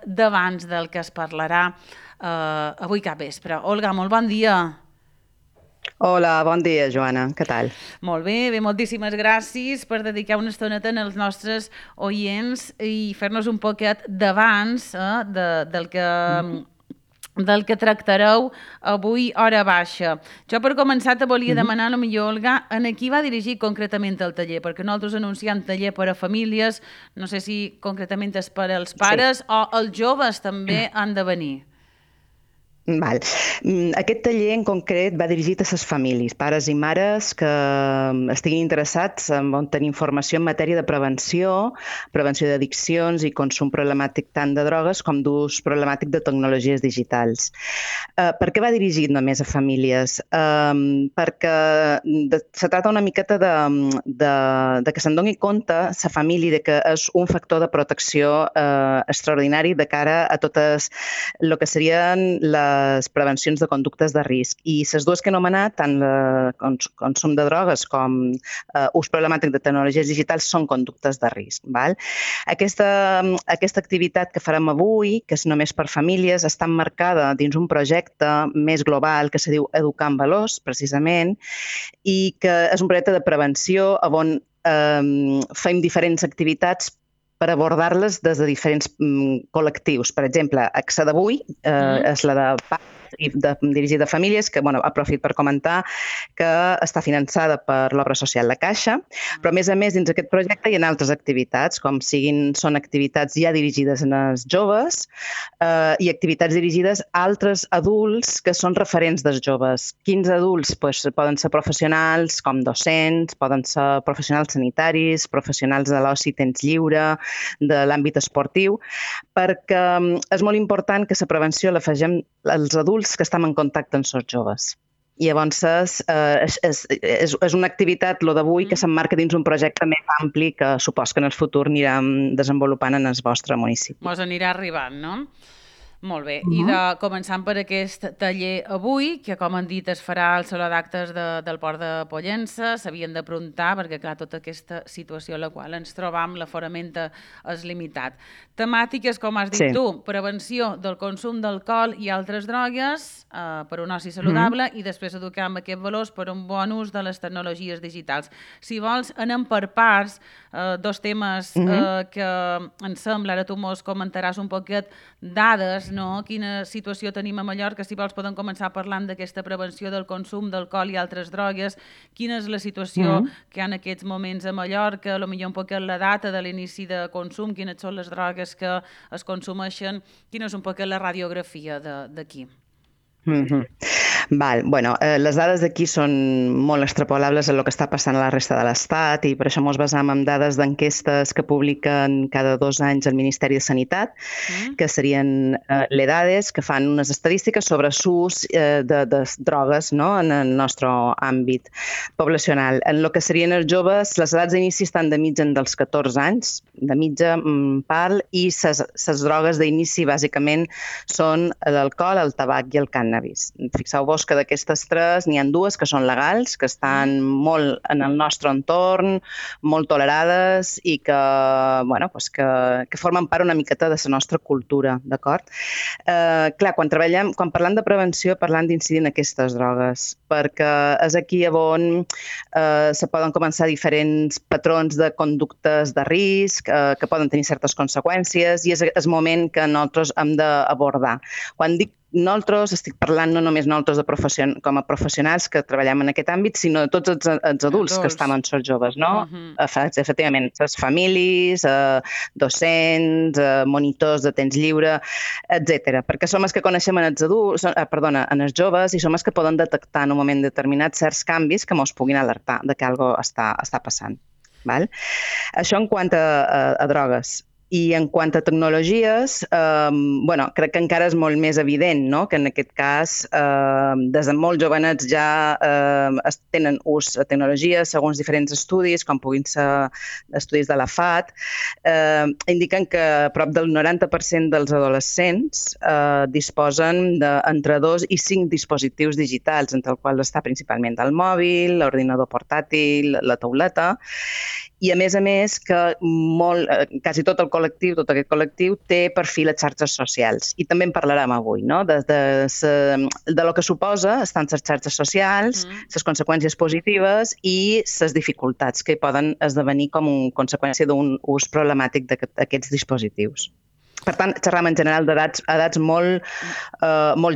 d'abans del que es parlarà avui capvespre. Olga, molt bon dia. Hola, bon dia, Joana. Què tal? Molt bé, moltíssimes gràcies per dedicar una estoneta als nostres oients i fer-nos un poquet d'abans del que tractareu avui hora baixa. Jo per començar te volia demanar, a lo millor, Olga, en qui va dirigir concretament el taller, perquè nosaltres anunciem taller per a famílies, no sé si concretament és per als pares o els joves també han de venir. Val. Aquest taller en concret va dirigit a les famílies, pares i mares que estiguin interessats en tenir informació en matèria de prevenció d'addiccions i consum problemàtic tant de drogues com d'ús problemàtic de tecnologies digitals. Per què va dirigit només a famílies? Perquè se tracta una miqueta de que se'n doni compte la família de que és un factor de protecció extraordinari de cara a totes el que serien les prevencions de conductes de risc. I les dues que he anomenat, tant el consum de drogues com ús problemàtic de tecnologies digitals, són conductes de risc. Val? Aquesta activitat que farem avui, que és només per famílies, està emmarcada dins un projecte més global que se diu Educar en Valors, precisament, i que és un projecte de prevenció on fem diferents activitats per abordar-les des de diferents col·lectius. Per exemple, AXA d'avui és la de dirigida a famílies, que aprofito per comentar que està finançada per l'obra social La Caixa, però a més, dins d'aquest projecte hi ha altres activitats, com són activitats ja dirigides als joves i activitats dirigides a altres adults que són referents dels joves. Quins adults? Poden ser professionals com docents, poden ser professionals sanitaris, professionals de l'oci temps lliure, de l'àmbit esportiu, perquè és molt important que la prevenció l'afegim als adults que estem en contacte amb els joves. I llavors és una activitat, lo d'avui, que s'emmarca dins un projecte més ampli que supos que en el futur anirem desenvolupant en el vostre municipi. Mos anirà arribant, no? Molt bé, i començant per aquest taller avui, que com han dit es farà al Saló d'Actes del Port de Pollença, s'havien d'aprontar perquè, clar, tota aquesta situació en la qual ens trobam, l'aforament és limitat. Temàtiques, com has dit tu, prevenció del consum d'alcohol i altres drogues per un oci saludable i després educar amb aquests valors per un bon ús de les tecnologies digitals. Si vols, anem per parts, dos temes que em sembla, ara tu mos comentaràs un poquet dades, no? Quina situació tenim a Mallorca, si vols podem començar parlant d'aquesta prevenció del consum d'alcohol i altres drogues, quina és la situació que hi ha en aquests moments a Mallorca, potser un poquet la data de l'inici de consum, quines són les drogues que es consumeixen, quina és un poquet la radiografia d'aquí. Les dades d'aquí són molt extrapolables a el que està passant a la resta de l'Estat i per això ens basam en dades d'enquestes que publiquen cada 2 anys el Ministeri de Sanitat, que serien l'EDADES, que fan unes estadístiques sobre l'ús de drogues en el nostre àmbit poblacional. En el que serien els joves, les edats d'inici estan de mitja dels 14 anys, de mitja pal, i les drogues d'inici bàsicament són l'alcohol, el tabac i el cànnabis. Fixeu-vos que d'aquestes 3 n'hi ha 2 que són legals, que estan molt en el nostre entorn, molt tolerades i que formen part una miqueta de la nostra cultura, d'acord? Clar, quan parlem de prevenció parlem d'incidir en aquestes drogues, perquè és aquí on se poden començar diferents patrons de conductes de risc que poden tenir certes conseqüències i és el moment que nosaltres hem d'abordar. Quan dic nosaltres, estic parlant no només nosaltres com a professionals que treballem en aquest àmbit, sinó de tots els adults que estan amb els joves, no? Efectivament, les famílies, docents, monitors de temps lliure, etc. Perquè som els que coneixem en els joves i som els que poden detectar en un moment determinat certs canvis que ens puguin alertar de que alguna cosa està passant. Això en quant a drogues. I en quant a tecnologies, crec que encara és molt més evident que en aquest cas, des de molt jovenets ja tenen ús de tecnologies, segons diferents estudis, com puguin ser estudis de la FAT, indiquen que prop del 90% dels adolescents disposen d'entre 2 i 5 dispositius digitals, entre els quals està principalment el mòbil, l'ordinador portàtil, la tauleta, I a més que quasi tot tot aquest col·lectiu té perfil a xarxes socials. I també en parlarem avui, no? De lo que suposa estar en les xarxes socials, les conseqüències positives i les dificultats que poden esdevenir com a conseqüència d'un ús problemàtic d'aquests dispositius. Per tant, xerram en general d'edats molt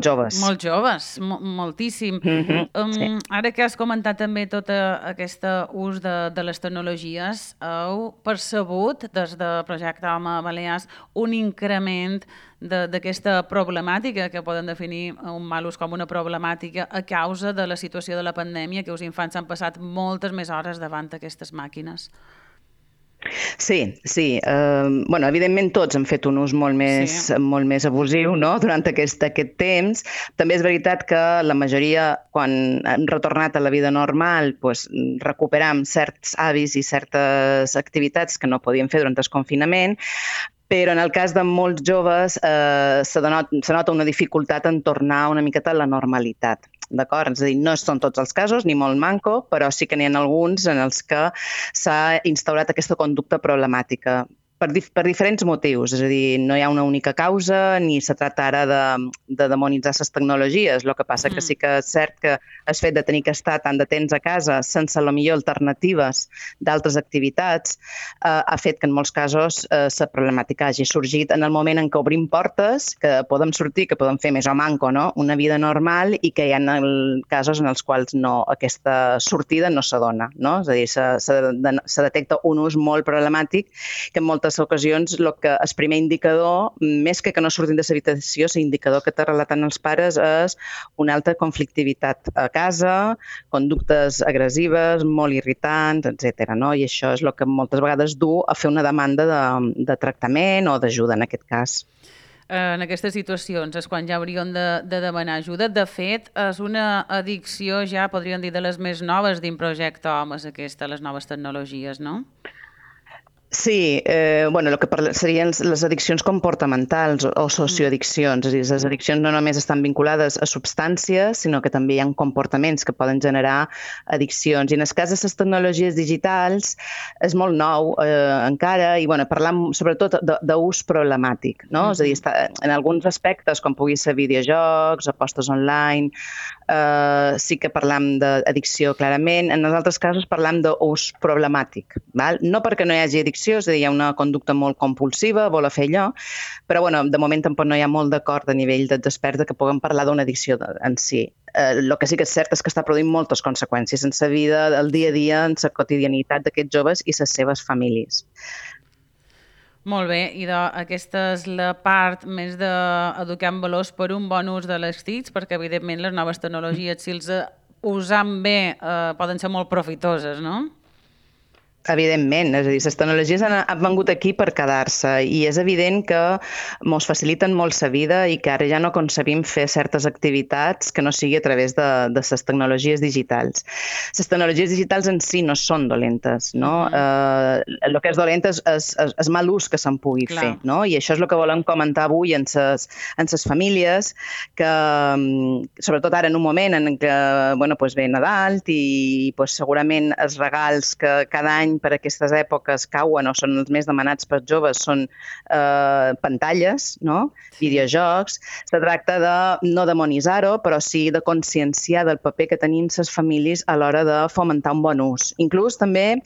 joves. Molt joves, moltíssim. Sí. Ara que has comentat també tot aquest ús de les tecnologies, heu percebut des de Projecte Home Balears un increment d'aquesta problemàtica que poden definir un mal ús com una problemàtica a causa de la situació de la pandèmia, que els infants han passat moltes més hores davant d'aquestes màquines? Sí. Evidentment tots han fet un ús molt més abusiu, no?, durant aquest temps. També és veritat que la majoria, quan hem retornat a la vida normal, recuperam certs hàbits i certes activitats que no podíem fer durant el confinament, però en el cas de molts joves se nota una dificultat en tornar una miqueta a la normalitat. D'acord? És a dir, no són tots els casos, ni molt manco, però sí que n'hi ha alguns en els que s'ha instaurat aquesta conducta problemàtica per diferents motius. És a dir, no hi ha una única causa ni se tracta ara de demonitzar les tecnologies. El que passa que sí que és cert que el fet de tenir que estar tant de temps a casa sense la millor alternatives d'altres activitats ha fet que en molts casos la problemàtica hagi sorgit en el moment en què obrim portes, que podem sortir, que podem fer més o manco, no?, una vida normal, i que hi ha casos en els quals aquesta sortida no s'adona, no? És a dir, se detecta un ús molt problemàtic que en moltes ocasions el primer indicador, més que no surtin de l'habitació, l'indicador que te relaten els pares és una alta conflictivitat a casa, conductes agressives, molt irritants, etc. No? I això és el que moltes vegades du a fer una demanda de tractament o d'ajuda en aquest cas. En aquestes situacions és quan ja hauríem de demanar ajuda. De fet, és una addicció ja, podríem dir, de les més noves dins Projecte Homes, les noves tecnologies, no? Sí, el que serien les addiccions comportamentals o socioaddiccions. És a dir, les addiccions no només estan vinculades a substàncies, sinó que també hi ha comportaments que poden generar addiccions. I en el cas de les tecnologies digitals és molt nou encara, i parlam sobretot d'ús problemàtic, no? És a dir, en alguns aspectes, com pugui ser videojocs, apostes online, sí que parlam d'addicció clarament. En els altres casos parlam d'ús problemàtic. No perquè no hi hagi addicció, és a dir, hi ha una conducta molt compulsiva, voler fer allò, però de moment tampoc no hi ha molt d'acord a nivell dels experts que puguem parlar d'una addicció en si. El que sí que és cert és que està produint moltes conseqüències en la vida, el dia a dia, en la quotidianitat d'aquests joves i les seves famílies. Molt bé, i aquesta és la part més d'educar en valors per un bon ús de les TICs, perquè evidentment les noves tecnologies, si els usam bé, poden ser molt profitoses, no? Evidentment, és a dir, les tecnologies han vengut aquí per quedar-se, i és evident que ens faciliten molt la vida i que ara ja no concebim fer certes activitats que no sigui a través de les tecnologies digitals. Les tecnologies digitals en si no són dolentes, no? El que és dolent és mal ús que se'n pugui fer, no? I això és el que volem comentar avui en les famílies, que sobretot ara en un moment en què ve Nadal i segurament els regals que cada any per aquestes èpoques cauen o són els més demanats pels joves són pantalles, no? Videojocs. Se tracta de no demonitzar-ho, però sí de conscienciar del paper que tenim les famílies a l'hora de fomentar un bon ús. Inclús també,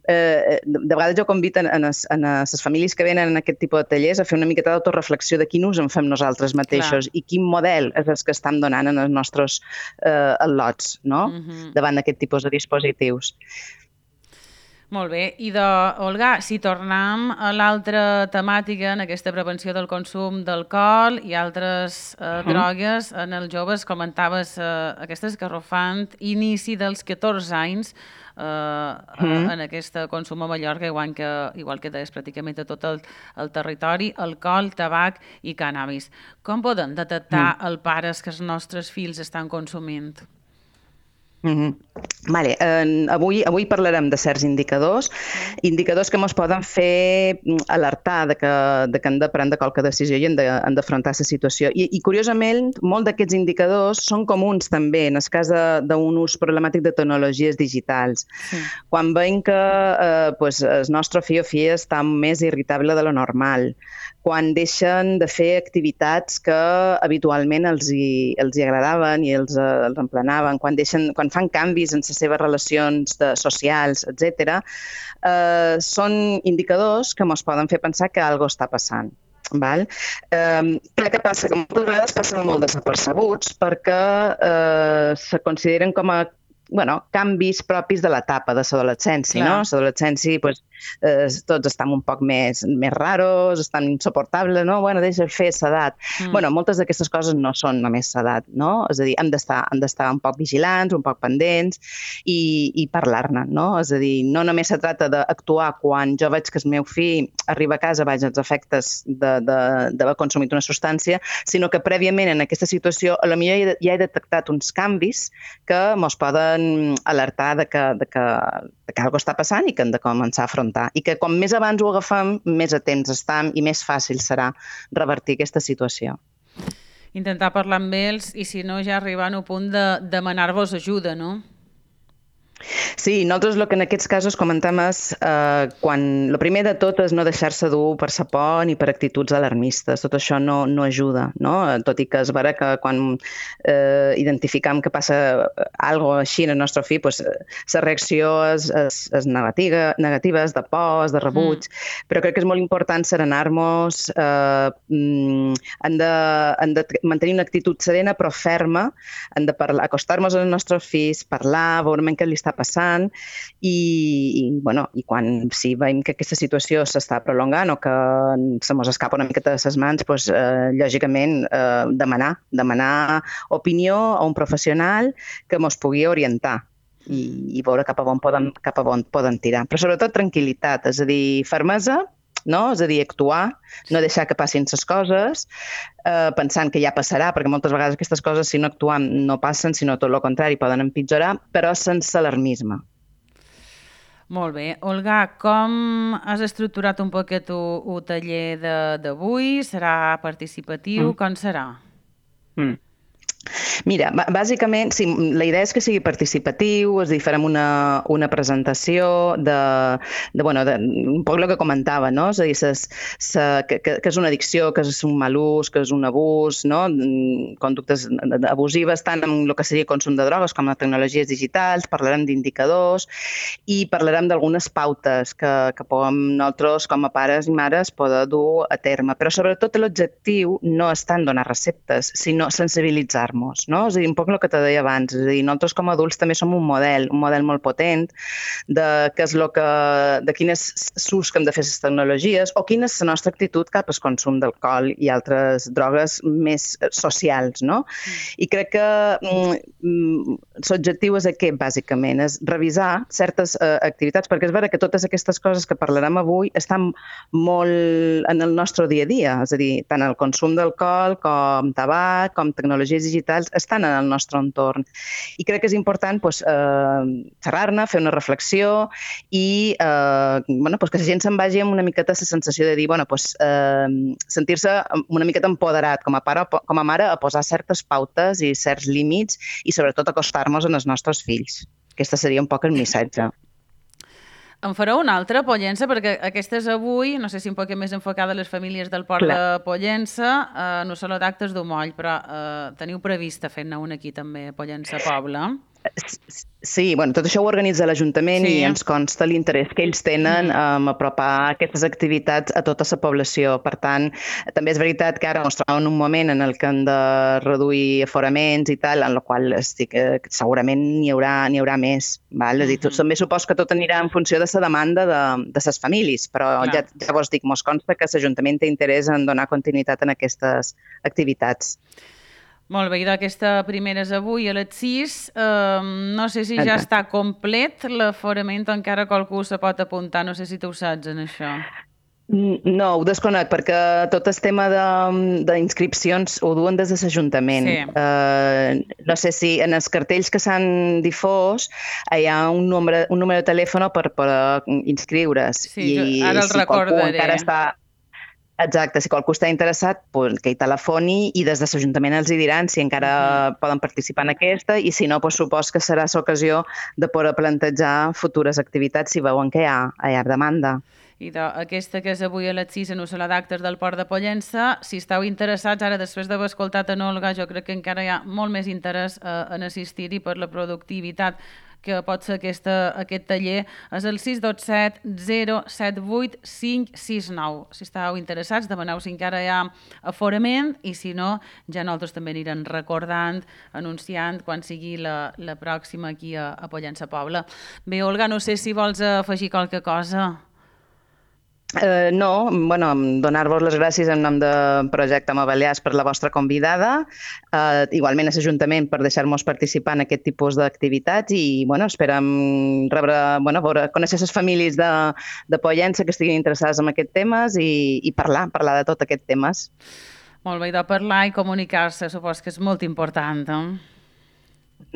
de vegades jo convido a les famílies que venen en aquest tipus de tallers a fer una miqueta d'autoreflexió de quin ús en fem nosaltres mateixos i quin model és el que estem donant en els nostres al·lots, no? Davant d'aquest tipus de dispositius. Molt bé. I Olga, si tornem a l'altra temàtica, en aquesta prevenció del consum d'alcohol i altres drogues en els joves, comentaves aquest esgarrofant inici dels 14 anys en aquest consum a Mallorca, igual que deies pràcticament a tot el territori, alcohol, tabac i cànnabis. Com poden detectar els pares que els nostres fills estan consumint? Mhm. Vale. Avui parlarem de certs indicadors que ens poden fer alertar de que hem de prendre qualque decisió i hem d'afrontar la situació. I curiosament, molts d'aquests indicadors són comuns també en el cas d'un ús problemàtic de tecnologies digitals. Sí. Quan veiem que el nostre fill o filla està més irritable de lo normal, quan deixen de fer activitats que habitualment els hi agradaven i els emplenaven, quan fan canvis en les seves relacions socials, etc., són indicadors que ens poden fer pensar que alguna cosa està passant. Val? Què passa? Que moltes vegades passen molt desapercebuts perquè se consideren com a canvis propis de l'etapa de l'adolescència, no? L'adolescència, tots estan un poc més raros, estan insuportables, no? Deixa fer l'edat. Moltes d'aquestes coses no són només l'edat, no? És a dir, hem d'estar un poc vigilants, un poc pendents i parlar-ne, no? És a dir, no només se tracta d'actuar quan jo veig que el meu fill arriba a casa baix els efectes d'haver consumit una substància, sinó que prèviament en aquesta situació potser ja he detectat uns canvis que ens poden alertar de que alguna cosa està passant i que hem de començar a afrontar. I que com més abans ho agafem, més a temps estem i més fàcil serà revertir aquesta situació. Intentar parlar amb ells i, si no, ja arribar a un punt de demanar-vos ajuda, no? Sí, nosaltres el que en aquests casos comentem és el primer de tot és no deixar-se dur per la por ni per actituds alarmistes. Tot això no ajuda, no? Tot i que és vera que quan identificam que passa alguna cosa així en el nostre fill, la reacció és negativa, és de por, és de rebuig, però crec que és molt important serenar-nos, hem de mantenir una actitud serena però ferma, hem de acostar-nos als nostres fills, parlar, veure què li està passant i quan si veiem que aquesta situació s'està prolongant o que se mos escapa una miqueta de les mans, lògicament demanar opinió a un professional que mos pugui orientar i veure cap a on poden tirar. Però sobretot tranquil·litat, és a dir, fermesa, no? És a dir, actuar, no deixar que passin les coses, pensant que ja passarà, perquè moltes vegades aquestes coses, si no actuem, no passen, sinó tot el contrari, poden empitjorar, però sense alarmisme. Molt bé. Olga, com has estructurat un poquet el taller d'avui? Serà participatiu? Com serà? Mira, bàsicament, sí, la idea és que sigui participatiu, és a dir, farem una presentació un poc el que comentava, no? És a dir, que és una addicció, que és un mal ús, que és un abús, no? Conductes abusives, tant en el que seria consum de drogues com en tecnologies digitals, parlarem d'indicadors i parlarem d'algunes pautes que nosaltres, com a pares i mares, poder dur a terme. Però sobretot l'objectiu no és tant donar receptes, sinó sensibilitzar-nos, no? És a dir, un poc el que te deia abans, és a dir, nosaltres com a adults també som un model molt potent de quin és l'ús que hem de fer les tecnologies o quina és la nostra actitud cap al consum d'alcohol i altres drogues més socials, no? I crec que l'objectiu és aquest, bàsicament, és revisar certes activitats, perquè és vera que totes aquestes coses que parlarem avui estan molt en el nostre dia a dia, és a dir, tant el consum d'alcohol com tabac, com tecnologies digitals, estan en el nostre entorn. I crec que és important xerrar-ne, fer una reflexió i que la gent se'n vagi amb una miqueta la sensació de dir, sentir-se una miqueta empoderat com a pare, com a mare, a posar certes pautes i certs límits i sobretot acostar-nos als nostres fills. Aquest seria un poc el missatge. En fareu una altra, Pollença, perquè aquesta és avui, no sé si un poc més enfocada a les famílies del Port de Pollença, no solo d'actes d'Umoll, però teniu prevista fer-ne una aquí també, a Pollença Poble? Sí, tot això ho organitza l'Ajuntament i ens consta l'interès que ells tenen en apropar aquestes activitats a tota la població. Per tant, també és veritat que ara ens trobem en un moment en el que hem de reduir aforaments i tal, en el qual segurament n'hi haurà més. És a dir, també supos que tot anirà en funció de la demanda de les famílies, però ja vos dic, mos consta que l'Ajuntament té interès en donar continuïtat en aquestes activitats. Molt bé, i d'aquesta primera és avui a les 6. No sé si ja està complet l'aforament o encara qualcú se pot apuntar. No sé si tu ho saps, en això. No, ho desconec, perquè tot el tema d'inscripcions ho duen des de l'Ajuntament. Sí. No sé si en els cartells que s'han difós hi ha un número de telèfon per inscriure's. Sí, ara el si qualcú recordaré. encara està... Exacte, si qualcú està interessat, pues, que hi telefoni i des de l'Ajuntament els hi diran si encara poden participar en aquesta i si no, pues, supos que serà l'ocasió de poder plantejar futures activitats si veuen que hi ha demanda. I aquesta que és avui a les 6 en la sala d'actes del Port de Pollença, si esteu interessats, ara després d'haver escoltat en Olga, jo crec que encara hi ha molt més interès en assistir-hi per la productivitat que pot ser aquest taller, és el 627 078 569. Si esteu interessats, demaneu si encara hi ha aforament i si no, ja nosaltres també anirem recordant, anunciant quan sigui la pròxima aquí a Pollença Poble. Bé, Olga, no sé si vols afegir qualque cosa. No, bueno, donar-vos les gràcies en nom de Projecte Home Balears per la vostra convidada, igualment a l'Ajuntament per deixar-nos participar en aquest tipus d'activitats i bueno, esperem conèixer les famílies de Pollença que estiguin interessades en aquests temes i parlar de tot aquests temes. Molt bé, de parlar i comunicar-se, supos que és molt important,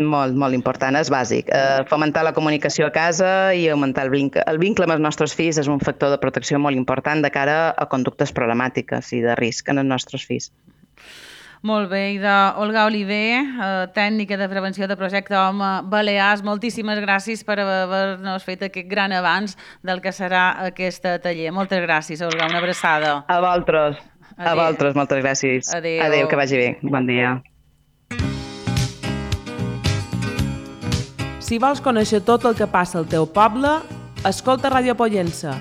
Molt, molt important, és bàsic. Fomentar la comunicació a casa i augmentar el vincle amb els nostres fills és un factor de protecció molt important de cara a conductes problemàtiques i de risc en els nostres fills. Molt bé, i d'Olga Oliver, tècnica de prevenció de Projecte Home Balears, moltíssimes gràcies per haver-nos fet aquest gran avanç del que serà aquest taller. Moltes gràcies, Olga, una abraçada. A vosaltres. A vosaltres, moltes gràcies. Adéu, que vagi bé. Bon dia. Si vols conèixer tot el que passa al teu poble, escolta Ràdio Pollença,